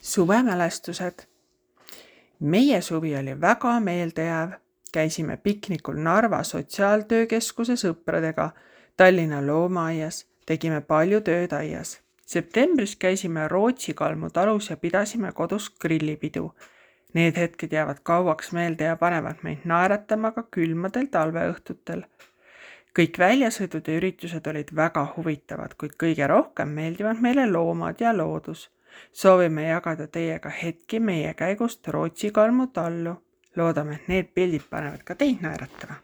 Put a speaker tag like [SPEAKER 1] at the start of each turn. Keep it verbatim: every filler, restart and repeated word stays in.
[SPEAKER 1] Suvemälestused. Meie suvi oli väga meeldejääv. Käisime piknikul Narva sotsiaaltöökeskuse sõpradega, Tallinna loomaaias, tegime palju tööd aias. Septembris käisime Rootsi Kalmu talus ja pidasime kodus grillipidu. Need hetked jäävad kauaks meelde ja panevad meid naeratama ka külmadel talveõhtutel. Kõik väljasõidud ja üritused olid väga huvitavad, kuid kõige rohkem meeldivad meile loomad ja loodus. Soovime jagada teiega hetki meie käigust Rootsi Kalmu tallu. Loodame, et need pildid panevad ka teid naeratama.